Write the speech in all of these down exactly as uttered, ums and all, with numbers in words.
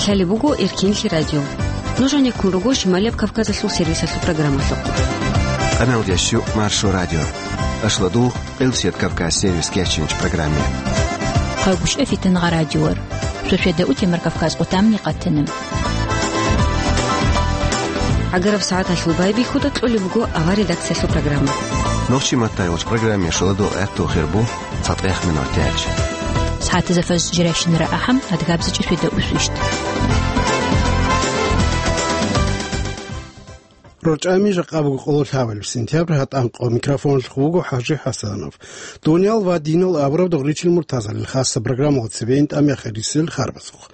Лъалеб буго Эркинлъи радио. Нуж гьанеккун руго Шималияб Кавказалъул сервисалъул программалъухъ. Къаналдияс щу Маршо радио. Ашладу Къилсият Кавказ сервис кечинч программе. Хъагушев Фитангъа радиор. Суседа утемар Кавказ къутамни къатана. Агараб сагӀаталъул байбихьуда кьолеб буго авар редакциялъул программа. Нохчи маттайгъуч программе шуладул гӀатту хирбу. ЦатӀех минут тяч. СагӀатазда фаз жиращинара ахӀам, адгабзичӀи светаусвищ. РорчӀами жакъа буго къоло лъабабилеб сентябрь, гьатӀан къо микрофоналъухъ вуго ХӀажи ХӀасанов. Дуниял ва динал абураб дугъричил муртазалил хасаб программалда цебе ин тӀамияхъ рисел харбазухъ.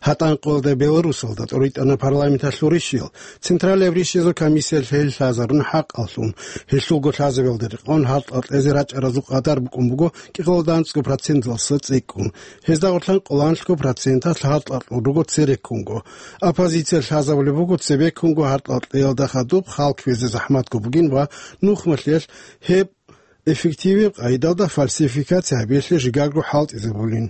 ГьатӀан къоялда Беларусалда тӀоритӀана парламенталъул рищиял, Централияб рищиязул комиссиялъ гьел лъазарун хӀакъалъун, гьелъулго лъазабиялда рекъон гьалкьа кьезе рачӀаразул къадар букӀун буго кӀикъоялда анцӀго проценталдаса цӀикӀкӀун. Гьезда гъорлъан къоло анлъго проценталъ гьалкьа кьун руго цереккунго. Оппозиция лъазабулеб буго цебеккунго гьалкьа кьеялда хадуб хал кквезе захӀматго бугин ва нухмалъиялъ гьеб эффективаб къайдалда фальсификация гьабиялъе жигарго хӀалтӀизабулин.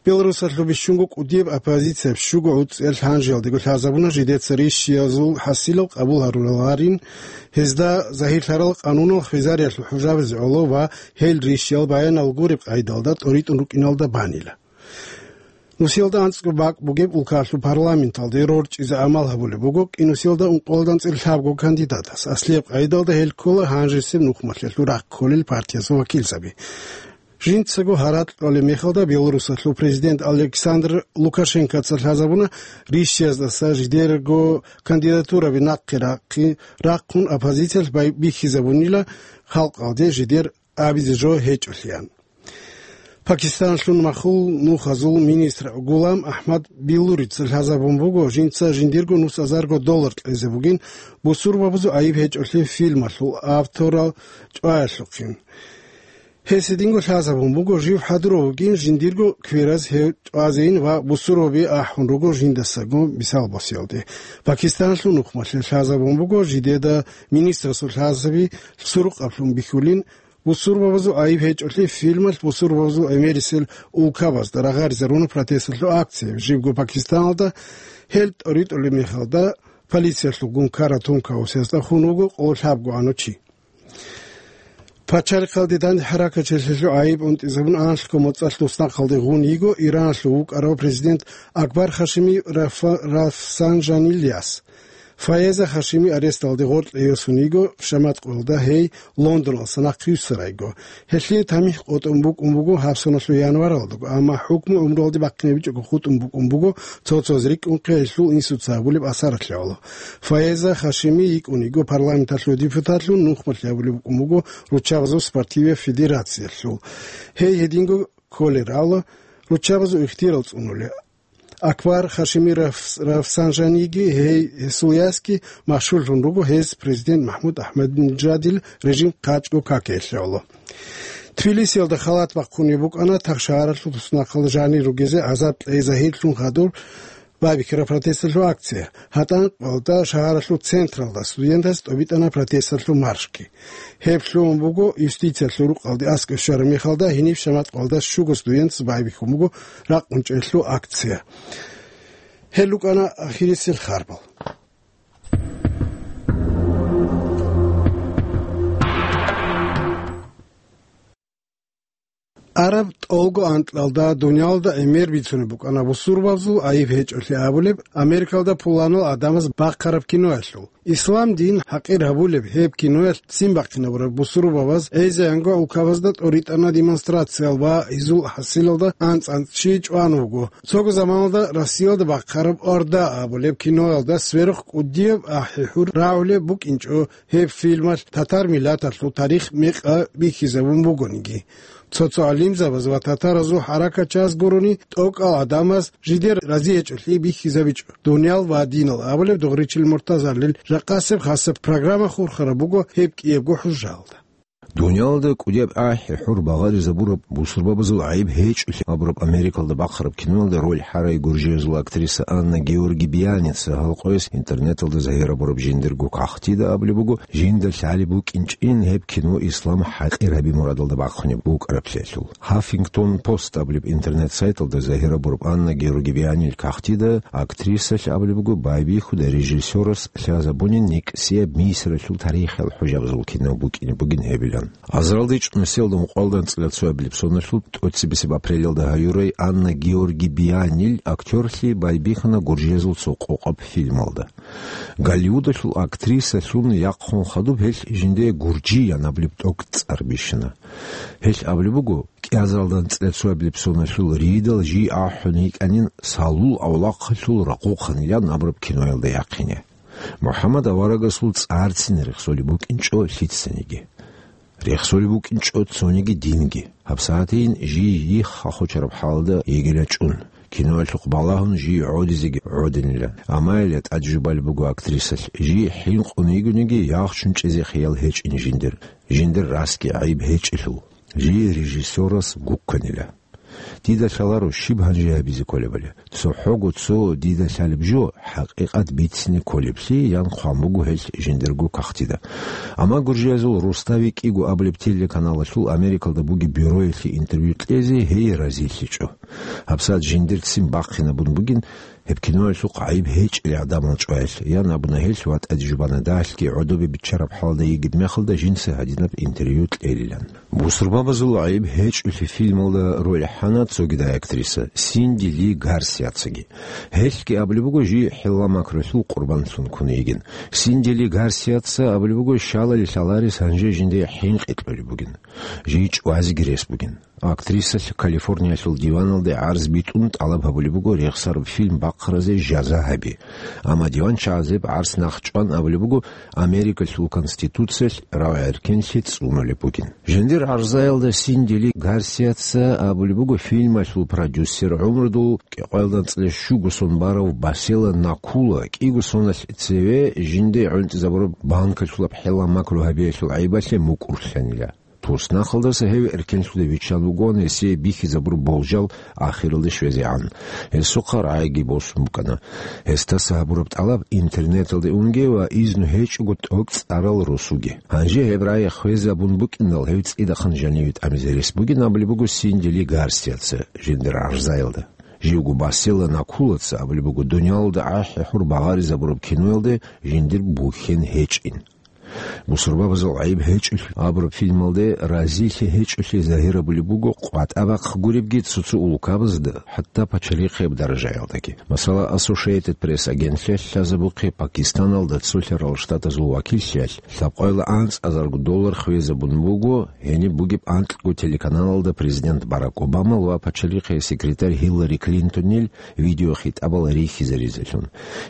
Беларусалъул бищунго кӀудияб оппозицияб щуго гӀуцӀиялъ гьанжеялдего лъазабуна жидеца рищиязул хӀасилал къабул гьаруларин, гьезда загьирлъарал къанунал хвезариялъул хӀужабазе гӀоло ва гьел рищиял баянал гуреб къайдалда тӀоритӀун рукӀиналда банила. Нусиялда анцӀго бакӀ бугеб улкалъул парламенталде рорчӀизе амал гьабулеб буго кӀинусиялда ункъоялда анцӀила лъабго кандидатас. Аслияб къайдалда гьел ккола гьанжесеб нухмалъиялъул рахъ кколел партиясул вакилзаби. Жинцаго гьаракь кьолеб мехалда Беларусалъул президент Александр Лукашенкоца лъазабуна рищияздаса жидерго кандидатураби нахъе рахъи-, рахъун оппозициялъ бай-, бихьизабунила халкъалде жидер абизе жо гьечӀолъиян. Пакистанлъун махул нухазул министр Гулам Ахмад Биллурица лъазабун буго, жинца жиндирго нус азарго доллар кьезе бугин, бусурбабазул гӀайиб гьечӀолъи фильмалъул авторал чӀваялъухъин. Гьес гьединго лъазабун буго, жив хӀадурав вугин, жиндирго квераз гьев чӀвазейин ва бусурбаби ахӀун руго жиндасаго мисал босиялде. Пакистанлъун нухмалъе лъазабун буго, жидеда министрасул лъазаби сурукъаблъун бихьулин, бусурбабазул гӀайиб гьечӀолъи фильмалъ бусурбабазул гӀемерисел улкабазда рагъаризаруна протесталъул акция. Жибго Пакистаналда гьел тӀоритӀулеб мехалда полициялъул гункара тункаусезда хун вуго къоло лъабго гӀаночи. Пачалихъалде данде хӀаракатчилъилъул гӀайиб унтӀизабун анлъго моцӀалъ туснахъалде гъун йиго Ираналъул вукӀарав президент Акбар Хашими Рафа-, Рафсанжанияс. Фаеза Хашими аресталде гъоркье йосун йиго, шаматкъуялда гьей Лондоналдаса нахъе йиссарайго. Гьелъие тамихӀ къотӀун букӀун буго гьабсаналъул январалдаго, амма хӀукму гӀумруялде бахъинабичӀого хутӀун букӀун буго цо-цоз рикӀкӀунхъе гьелъул инсуца гьабулеб асаралъе гӀоло. Фаеза Хашими йикӀун йиго парламенталъул депутатлъун, нухмалъи гьабулеб букӀун буго руччабазул спортивияб федерациялъул. Гьей гьединго кколел рала руччабазул ихтияр цӀунулел. Акбар Хашими Раф-, Рафсанжаниги гьей гьесул ясги машгьурлъун руго гьез президент МахӀмуд АхӀмадинежадил режим хъачӀго какиялъе гӀоло. Тбилисиялда халат бахъунеб букӀана тахшагьаралъул туснахъалда жанир ругезе гӀазаб кьей загьирлъун хадур байбихьараб протесталъул акция. ГьатӀан къоялда шагьаралъул централда студентаз тӀобитӀана протесталъул маршги. Гьеб лъугьун буго юстициялъул рукъалде аскӀов щвараб мехалда, гьениб шаматкъалда щуго студентас байбихьун буго ракъун чӀелъул акция. Гьел рукӀана ахирисел харбал. Араб тӀолго анкьалда дуниялда гӀемер бицунеб букӀана бусурбабазул гӀайиб гьечӀолъи абулеб Америкалда пуланал гӀадамаз бахъараб киноялъул. Ислам дин хӀакъир гьабулеб гьеб киноялъ ццин бахъинабураб бусурбабаз гӀезегӀанго улкабазда тӀоритӀана демонстрациял ва гьезул хӀасилалда анцӀ-анцӀ чи чӀван вуго. Цого заманалда Россиялда бахъараб Орда абулеб киноялда сверухъ кӀудияб ахӀи-хӀур рагӀулеб букӀинчӀо. Гьеб фильмалъ татар миллаталъул тарих мекъа бихьизабун бугониги, цо-цо гӀалимзабаз ва татаразул хӀаракатчияз гурони, тӀокӀал гӀадамаз жидер разиячӀолъи бихьизабичӀо. Дуниял ва динал абулеб дугъричил муртазалил жакъасеб хасаб программа хурхараб буго гьеб кӀиябго хӀужаялда. Дуниялда кӀудияб ахӀи-хӀур багъаризабураб бусурбабазул гӀайиб гьечӀолъи абураб Америкалда бахъараб киноялда роль хӀарай гуржиязул актриса Анна Георги Бианица гьал къояс интернеталда загьирабураб жиндирго кагътида абулеб буго, жинда лъалеб букӀинчӀин гьеб кино ислам хӀакъир гьаби мурадалда бахъунеб букӀараблъиялъул. Huffington Post абулеб интернет-сайталда загьирабураб Анна Георги Бианил кагътида актрисалъ абулеб буго байбихьуда режиссерас лъазабунин никӀсияб Мисралъул тарихиял хӀужабазул кино букӀине бугин гьебилан. Азаралда ичӀнусиялда ункъоялда анцӀила цоябилеб соналъул тӀоцебесеб апрелалда гьаюрай Анна Георги Бианил актёрлъи байбихьана гуржиязул цо къокъаб фильмалда. Голливудалъул актрисалъун яхъун хадуб гьелъ жинде гуржиян абулеб тӀокӀ цӀар бищана. Гьелъ абулеб буго, кӀиазаралда анцӀила цоябилеб соналъул ридал жий ахӀун йикӀанин Салул авлахъалъул ракъухъанилан абураб киноялда яхъине. МухӀаммад аварагасул цӀарцин рехсолеб букӀинчӀо лъицаниги. Рехсолеб букӀинчӀо цониги динги. ГьабсагӀатейин жий йихха хочараб хӀалда йигила чӀун. Киноялъухъ балагьун жий гӀодизеги гӀодинила. Амма гьеле тӀад жубалеб буго актрисалъ, жий хӀинкъун йигониги, яхчун чӀезе хиял гьечӀин жиндир. Жиндир расги гӀайиб гьечӀелъул. Жий режиссерас гукканила. Дида лъаларо щиб гьанже гьабизе кколебали. ЦохӀого цо дида лъалеб жо, хӀакъикъат бицине кколеблъи, ян хъван буго гьелъ жиндирго кагътида. Амма гуржиязул Рустави кӀиго абулеб телеканалалъул Америкалда бугеб бюроялъе интервью кьезе гьей разилъичӀо. ГьабсагӀат жиндирцин бахъинабун бугин, гьеб киноялъухъ гӀайиб гьечӀел гӀадамал чӀваялъ, ян абуна гьелъ ва тӀаде жубана дагьалъги гӀодобе биччараб хӀалда йигеб мехалда жинца гьадинаб интервью кьелилан. Бусурбабазул гӀайиб гьечӀолъи фильмалда роль хӀана цогидай актриса Синди Ли Гарсиацаги. Гьелъги абулеб буго жий хӀилла-макрулъул къурбанлъун ккун йигин. Синди Ли Гарсиаца абулеб буго щалали лъаларес гьанже жинде хӀинкъи кьолеб бугин. Жий чӀвазеги рес бугин. Актрисалъ Калифорниялъул диваналде гӀарз битӀун тӀалаб гьабулеб буго рехсараб фильм бахъаразе жаза гьаби. Амма диванчагӀаз гьеб гӀарц нахъчӀван абулеб буго Америкалъул Конституциялъ рагӀи-эркенлъи цӀунулеб бугин. Жиндир гӀарзаялда Синди Ли Гарсиаца абулеб буго фильмалъул продюсер гӀумрудул кӀикъоялда анцӀила щуго сон барав Басела Накула кӀиго соналъ цеве жинде гӀунтӀизабураб банкалъулаб хӀилла-макру гьабиялъул гӀайибалъе мукӀурлъанила. Туснахалдаса гьев эркенлъуде виччан вугоан гьесие бихьизабураб болжал ахиралде щвезегӀан. Гьесухъа рагӀиги босун букӀана. Гьесдаса гьабураб тӀалаб интернеталде унге ва изну гьечӀого тӀокӀ цӀарал росуге. Гьанже гьеб рагӀи хвезабун букӀиндал, гьев цӀидахъан жаниве тӀамизе рес бугин абулеб буго Синди Ли Гарсиаца жиндир гӀарзаялда. Живго Басела Накулаца абулеб буго, дуниялалда ахӀи-хӀур багъаризабураб киноялде жиндир бухьен гьечӀин. Бусурбабазул гӀайиб гьечӀолъи абураб фильмалде разилъи гьечӀолъи загьирабулеб буго къватӀа бахъ гуребги цо-цо улкабазда, хӀатта пачалихъияб даражаялдаги. Масала, Associated Press агентлъиялъ лъазабухъе Пакистаналда цолъарал штатазул вакиллъиялъ лъабкъоялда анцӀазарго доллар хвезабун буго гьениб бугеб анкьго телеканалалда президент Барак Обамал ва пачалихъе секретарь Гьиллари Клинтонил видеохитӀабал рихьизаризелъун.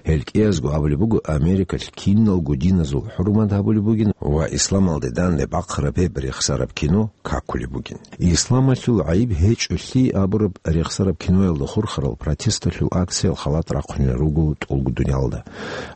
Гьел кӀиязго абулеб буго, Америкалъ киналго диназул хӀурмат гьабулеб бугин ва исламалде данде бахъараб гьеб рехсараб кино какулеб бугин. Исламалъул гӀайиб гьечӀолъи абураб рехсараб киноялда хурхарал протесталъул акциял халат рахъунел руго тӀолго дуниялда.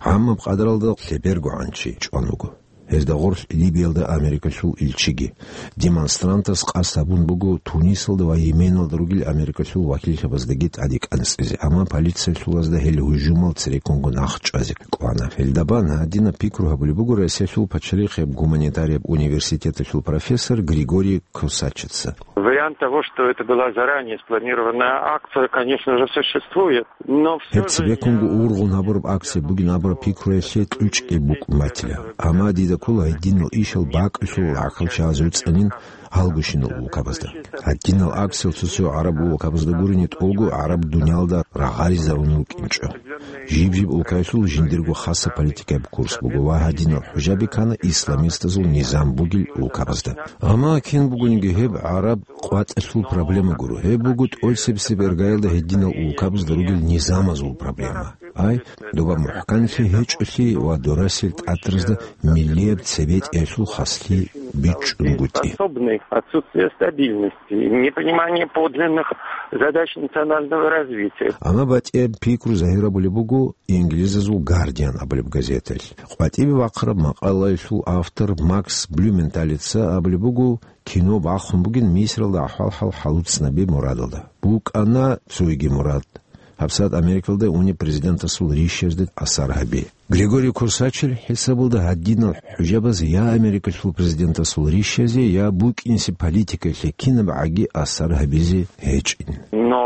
ГӀаммаб къадаралда лъеберго гӀанчи чӀван вуго. Гьезда гъорлъ Либиялда Америкалъул илчиги. Демонстрантас къасд гьабун буго Тунисалда ва Йеменалда ругел Америкалъул вакиллъабаздаги тӀаде кӀанцӀизе, амма полициялъулазда гьел гьужумал цереккунго нахъчӀвазе кӀвана. Гьелдабан гьадинаб пикру гьабулеб буго Россиялъул пачалихъияб гуманитарияб университеталъул профессор Григорий Косачица. Вариант того, что это была заранее спланированная акция, конечно же, существует. Но всё же... Гьеб цебеккунго ургъун гьабураб акция бугин абураб пикруялъе кьучӀги букӀун батила. Амма дида ккола гьединал ишал бакӀалъул гӀахьалчагӀаз вуцӀанин гьалгощинал улкабазда. Гьадинал акциял цо-цо гӀараб улкабазда гурони тӀолго гӀараб дуниялда рагъаризарун рукӀинчӀо. Жиб-жиб улкаялъул жиндирго хаса политикаяб курс буго ва гьадинал хӀужаби ккана исламистазул низам бугел улкабазда. Амма кин бугониги гьеб гӀараб къватӀалъул проблема гуро. Гьеб буго тӀолъисеб-себ иргаялда гьединал улкабазда ругел низамазул проблема. Ай, доба мухӀканлъи гьечӀолъи ва дорасел тӀатразда миллияб цебетӀиялъул хаслъи бичӀчӀунгутӀи. Способны, отсутствие стабильности, непонимание подлинных задач национального развития. Амма батӀияб пикру загьирабулеб буго инглизазул Гардиан абулеб газеталъ. КъватӀибе бахъараб макъалаялъул автор Макс Блюменталица абулеб буго, кино бахун бугин Мисралда ахӀвал-хӀал хӀалуцӀнаби мурадалда. БукӀана цойги мурад. ГьабсагӀат Америкалда унеб президентасул рищазде асар гьаби. Григорий Курсачил хӀисабалда гьадинал хӀужабаз я Америкалъул президентасул рищазе, я букӀинси политикалъе кинабгӀаги асар гьабизе гьечӀин. Но,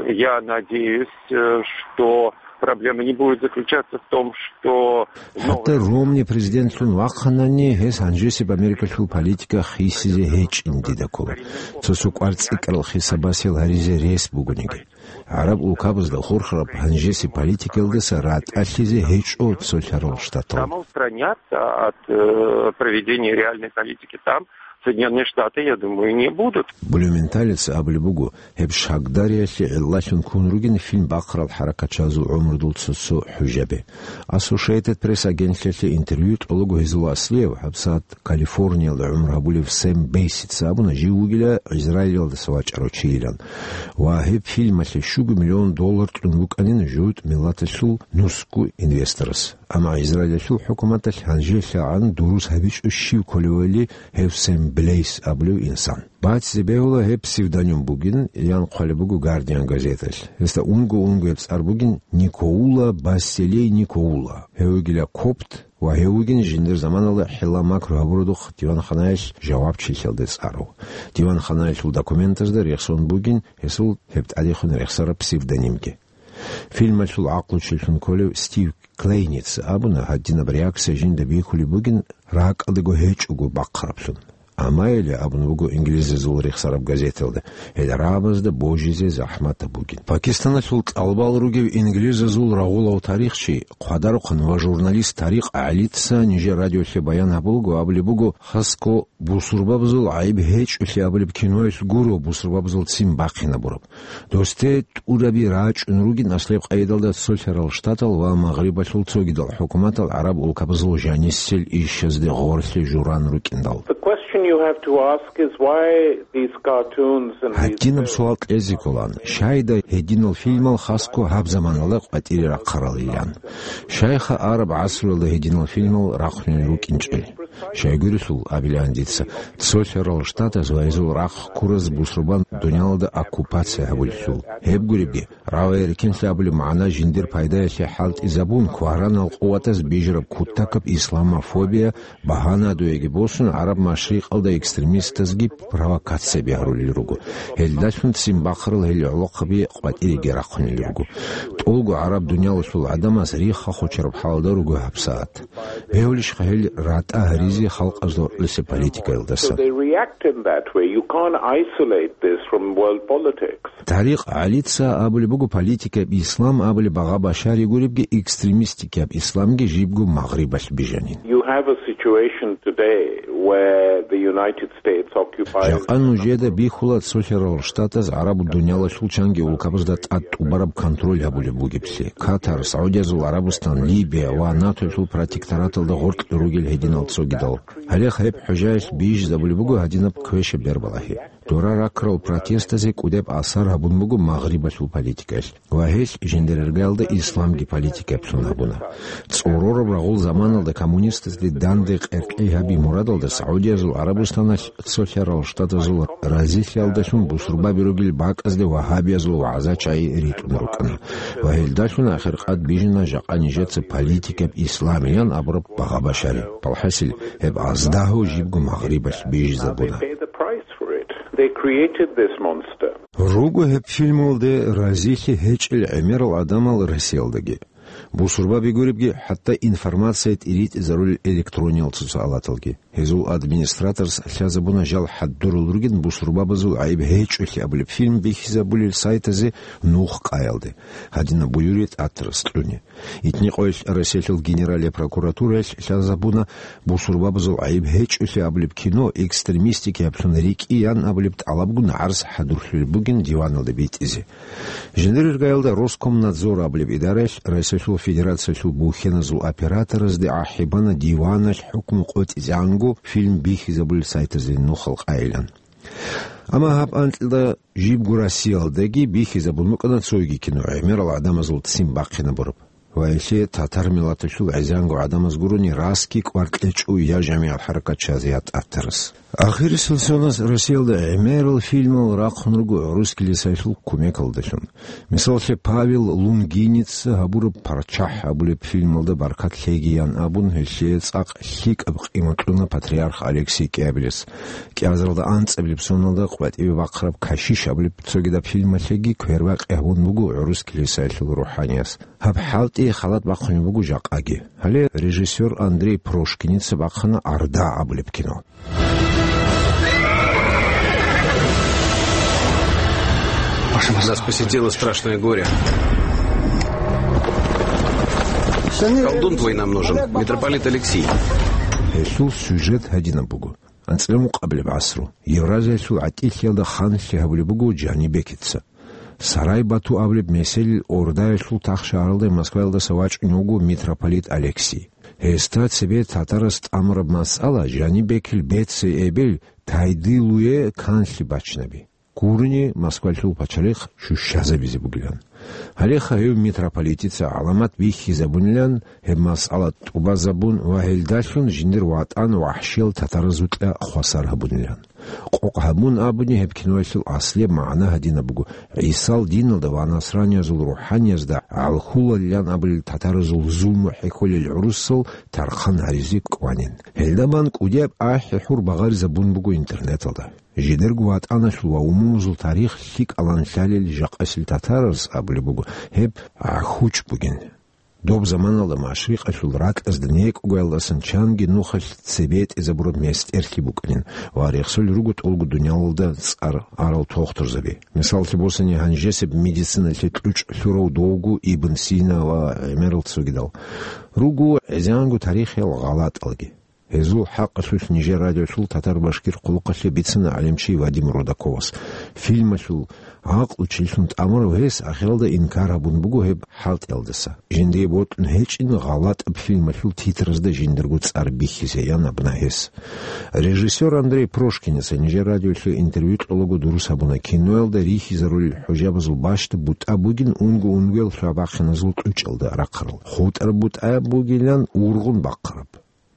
э, я надеюсь, э, что проблема не будет заключаться в том, что... ХӀатта Ромни президентлъун вахъанани, гьес гьанжесеб Америкалъул политика хисизе гьечӀин дида ккола. Цо-цо кӀварцӀикӀкӀарал хисабасел гьаризе рес бугониги. ГӀараб улкабазда хурхараб гьанжесеб политикаялдаса ратӀалъизе гьечӀо цолъарал штатал. Самоустранятся от, э, проведения реальной политики там Соединённые Штаты, я думаю, не будут. Блюменталица абулеб буго, гьеб шагдариялъе гӀиллалъун ккун ругин фильм бахъарал хӀаракатчиязул гӀумрудул цо-цо хӀужаби. Associated Press агентлъиялъе интервью тӀолого гьезул аслияв, гьабсагӀат Калифорниялда гӀумру гьабулев Сэм Бейсица абуна, жив вугила Израилалдаса вачӀарав чийилан. Ва гьеб фильмалъе щуго миллион доллар тӀун букӀанин жугьутӀ миллаталъул нусго инвесторас. Амма Израилалъул хӀукуматалъ гьанжелъагӀан дурус гьабичӀо щив кколевали гьев Сэм Блейс абулев инсан. БацӀцӀи бегьула гьеб псевдоним бугин, ян хъвалеб буго Гардиан газеталъ. Гьесда унго-унго гьеб цӀар бугин Никоула Басселей Никоула. Гьев вугила копт ва гьев вугин жиндир заманалда хӀилла-макру гьабурудухъ диванханаялъ жавабчилъиялде цӀарав. Диванханаялъул документазда рехсон бугин гьесул гьеб тӀадехун рехсараб псевдонимги. Фильмалъул гӀакълучилъун кколев Стив Клейница абуна, гьадинаб реакция жинда бихьулеб бугин ракӀалдаго гьечӀого бахъараблъун. Амайиле абун буго инглизазул рехсараб газеталда, гьел рагӀабазда божизе захӀматаб бугин. Пакистаналъул тӀалабал ругев инглизазул рагъулав тарихчи, хъвадарухъан ва журналист Тарикъ ГӀалица нижер радиолъе баян гьабулго абулеб буго, хасго бусурбабазул гӀайиб гьечӀолъи абулеб киноялъ гуро бусурбабазул ццин бахъинабураб. Досде тӀураби рачӀун ругин аслияб къайдалда цолъарал штатал ва Магърибалъул цогидал хӀукуматал гӀараб улкабазул жанисел ишазде гъорлъи журан рукӀиндал. The question you have to ask is why these cartoons and these... Гьадинаб суал кьезе кколан, щайда гьединал фильмал хасго гьаб заманалда къватӀире рахъаралилан? Щайха араб гӀасруялда гьединал фильмал рахъунел рукӀинчӀел? Щайгурелъул, абилан дица, цолъарал штатаз ва гьезул рахъ ккураз бусурбан дуниялалда оккупация гьабулелъул. Гьеб гуребги, рагӀи-риккенлъи абулеб магӀна жиндир пайдаялъе хӀалтӀизабун, кваранал къуватаз бижараб кутакаб исламофобия багьана дуеги босун, ГӀараб машрикъалда экстремистазги провокацияби гьарулел руго. Гьелдалъун ццин бахъарал гьел гӀолохъаби къватӀиреги рахъунел руго. ТӀолго гӀараб дуниялалъул гӀадамаз рихха-хочараб хӀалда руго гьабсагӀат. Бегьулищха гьел ратӀа гьаризе халкъазда гьоркьоса политикаялдаса? So they react in that way. You can't isolate this from world politics. Тарикъ ГӀалица абулеб буго, политикаб ислам абулеб багъа-башари гуребги, экстремистикаб исламги жибго Магърибалъ бижанин. You have a situation today where the United States occupies... Жакъа нужеда бихьула цолъарал штатаз гӀараб дуниялалъул чанги улкабазда тӀад тӀубараб контроль гьабулеб бугеблъи. Катар, СагӀудиязул ГӀарабустан, Либия ва НАТОялъул протектораталда гъоркье ругел гьединал цогидал. Гьале гьеб хӀужаялъ бижизабулеб буго гьадинаб квешаб бербалагьи. Дора ракрал протестазе кӀудеб асар гьабун буго Магърибалъул политикаялъ. Ва гьелъ жиндирергалда исламги политикаблъун гьабуна. ЦӀорораб рагъул заманалда коммунистазде данде къеркьей гьаби мурадалда СагӀудиязул ГӀарабустаналъ цолъарал штатазул разилъиялдалъун бусурбаби ругел бакӀазде вагьабиязул вагӀза-чагӀи ритӀун рукӀана. Ва гьелдалъун ахиркъад бижана жакъа нижеца политикаб исламиян абураб багъа-башари. Балхасил, гьеб аздагьу жибго Магърибалъ бижизабуна. They pay the price for it. They created this monster. Руго гьеб фильмалде разилъи гьечӀел гӀемерал гӀадамал Россиялдаги. Бусурбаби гуребги, хӀатта информация тӀиритӀизарулел электрониял цоцаалаталги. Гьезул администраторас лъазабуна жал хӀадурал ругин бусурбабазул гӀайиб гьечӀолъи абулеб фильм бихьизабулел сайтазе нух къаялде. Гьадинаб буюри тӀатарас кьуни. Итни къоялъ Россиялъул Генералияб прокуратураялъ лъазабуна бусурбабазул гӀайиб гьечӀолъи абулеб кино экстремистикаблъун рикӀкӀиян абулеб тӀалабгун гӀарз хӀадурлъулеб бугин диваналде битӀизе. Жиндир иргаялда Роскомнадзор абулеб идараялъ Россиялъул Федерациялъул бухьеназул операторазде ахӀи бана диваналъ хӀукму къотӀизегӀанго фильм бихьизабулел сайтазе нухал къайилан. Амма гьаб анкьида жибго Россиялдаги бихьизабун букӀана цоги кино, гӀемерал гӀадамазул ццин бахъинабураб. Ва гьелъие татар миллаталъул гӀезегӀанго гӀадамаз гурони, расги кӀвар кьечӀо я жамигӀат хӀаракат чаз, я татарас. Ахирисел соназ Россиялда гӀемерал фильмал рахъун руго гӀурус килисаялъул кумекалдалъун. Мисаллъе, Павел Лунгиница гьабураб «ПарччахӀ» абулеб фильмалда баркат лъегиян абун, гьелъие цӀакъ лъикӀаб къимат кьуна патриарх Алексий кӀиабилес. КӀиазаралда анцӀабилеб соналда къватӀибе бахъараб «Кашиш» абулеб цогидаб фильмалъеги квербакъи гьабун буго гӀурус килисаялъул рухӀаниялъ. Гьаб хӀалтӀи халат бахъунеб буго жакъаги. Гьале режиссер Андрей Прошкиница бахъана «Орда» абулеб кино. Нас посетило страшное горе. Колдун твой нам нужен, митрополит Алексий. Гьелъул сюжет гьадинаб буго. АнцӀила мукъабилеб гӀасру, Евразиялъул гӀатӀилъиялда ханлъи гьабулеб буго Жанибекица. Сарай-Бату абулеб меселил Ордаялъул тахшагьаралда Москваялдаса вачӀунев вуго митрополит Алексий. Гьесда цебе татарас тӀамураб масъала Жанибекил бецей эбел Тайдилуе канлъи бачинаби. Гурони Москвалъул пачалихъ щущазабизе бугилан. Гьалеха гьев митрополитица гӀаламат бихьизабунилан, гьеб масъала тӀубазабун ва гьелдалъун жиндир ватӀан вахӀшиял татаразукьа хвасар гьабунилан. Къокъ гьабун абуни, гьеб киноялъул аслияб магӀна гьадинаб буго: ГӀисал диналда ва насраниязул рухӀаниязда гӀалхулалилан абулел татаразул зулму хӀехьолел гӀурусал тархъан гьаризе кӀванин. Гьелда бан кӀудияб ахӀи-хӀур багъаризабун буго интернеталда. Жидерго ватӀаналъул ва умумузул тарих лъикӀалан лъалел жакъасел татараз абулеб буго гьеб гӀахьучӀ бугин. Доб заманалда машрикъалъул ракьазда некӀогоялдасан чанги нухалъ цебетӀезабураб местӀерлъи букӀанин ва рехсолел руго тӀолго дуниялалда цӀар арал тохтурзаби. Мисаллъи босани, гьанжесеб медициналъе кьучӀ лъурав довго Ибн Сина ва гӀемерал цогидал. Руго гӀезегӀанго тарихиял гъалатӀалги. Гьезул хӀакъалъулъ нижер радиолъул татар-башкир хъулухъалъе бицана гӀалимчи Вадим Рудаковас. Фильмалъул гӀакълу чилъун тӀамурав гьес ахиралда инкар гьабун буго гьеб хӀалтӀиялдаса. Жиндие бокьун гьечӀин гъалатӀаб фильмалъул титразда жиндирго цӀар бихьизеян абуна гьес. Режиссер Андрей Прошкиница нижер радиолъе интервью кьолаго дурус гьабуна киноялда рихьизарулел хӀужабазул бащда бутӀа бугин унго-унгоял лъабахъиназул кьучӀалда рахъарал. ХутӀараб бутӀа бугилан ургъун бахъараб.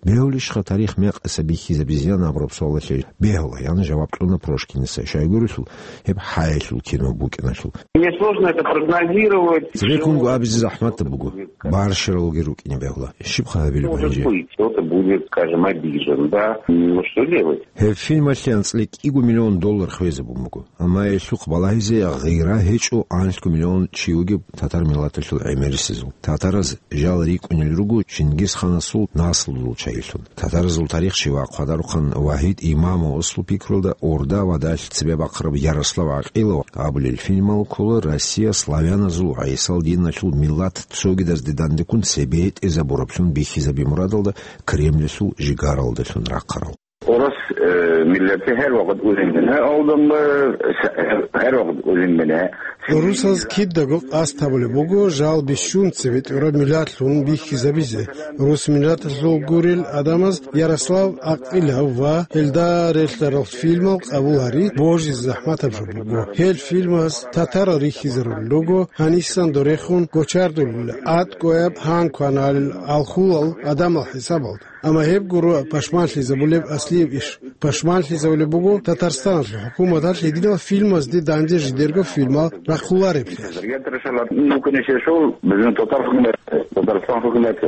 Бегьулищха тарих мекъаса бихьизабизеян абураб суалалъе? Бегьула, ян жаваб кьуна Прошкиница, щайгурелъул гьеб хӀаялъул кино букӀиналъул. Мне сложно это прогнозировать. Цебеккунго абизе захӀматаб буго. Барщаралги рукӀине бегьула. Щибха гьабилеб гьанже? Может быть, кто-то будет, скажем, обижен, да? Ну, что делать? Гьеб фильмалъе анцӀила кӀиго миллион доллар хвезабун буго. Амма гьелъухъ балагьизе гъира гьечӀо анлъго миллион чи вугеб татар миллаталъул гӀемерисезул. Татараз жал рикӀкӀунел руго Чингисханасул наслуялъул чагӀилъун. Татаразул тарихчи ва хъвадарухъан Вагьид Имамовасул пикруялда, Орда ва далъ цебе бахъараб Ярослав ГӀакъилов абулел фильмал ккола Россия славяназул ва гӀисал диналъул миллат цогидазде дандеккун цебетӀезабураблъун бихьизаби мурадалда Кремльалъул жигаралдалъун рахъарал. Урус, э, миллатги гьар вакъат уьзин бина, гьалда, э, с-, гьар вакъат уьзин бина. Урусаз кидаго къасд гьабулеб буго жал бищун цебетӀураб миллатлъун бихьизабизе. Урус миллаталъул гурел гӀадамаз Ярослав ГӀакъилов ва гьелда релълъарал фильмал къабул гьари божизе захӀматаб жо буго. Гьел фильмаз татарал рихьизарулел руго, гьанисан дорехун гочардулел, тӀадкъояб гьан кваналел гӀалхулал гӀадамал хӀисабалда. Амма гьеб гуро пашманлъизабулеб аслияб иш. Пашманлъизабулеб буго Татарстаналъул хӀукуматалъ гьединал фильмазде данде жидерго фильмал рахъулареблъиялъ. Я трешала, ну, конечно, шел, безин татар хукумат, Татарстан хукумат.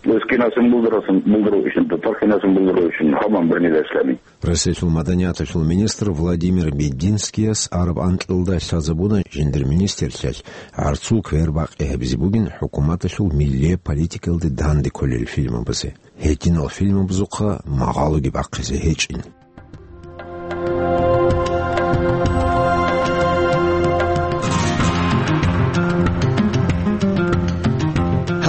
Өз кинасын булдурасун, булдуру ишин, татар кинасын булдуру ишин, хаман бирни дашлами. Россиялъул маданияталъул министр Владимир Мединскияс араб анкьалда лъазабуна жиндир министрлъиялъ гӀарцул квер бакъи гьабизе бугин хӀукуматалъул миллияб политикалде данде кколел фильмабазе. Гьединал фильмабазухъа магъалоги бахъизе гьечӀин.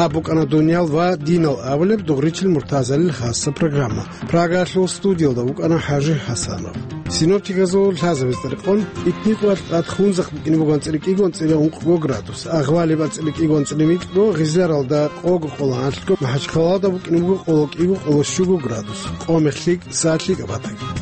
Гьаб БукӀана дуниял ва динал абулеб дугъричил муртазалил хасса программа. Прагаялъул студиялда вукӀана ХӀажи ХӀасанов. Синоптиказул лъазабиз рекъон, итникъоялъ тӀад хунзахъ букӀине буго анцӀила кӀиго анцӀила ункъго градус, агъвалиб анцӀила кӀиго анцӀила микьго, гъизларалда къого къоло анлъго, МахӀачхъалалда букӀине буго къоло кӀиго къоло щуго градус, къомехлъи сад лъикӀаб батаги.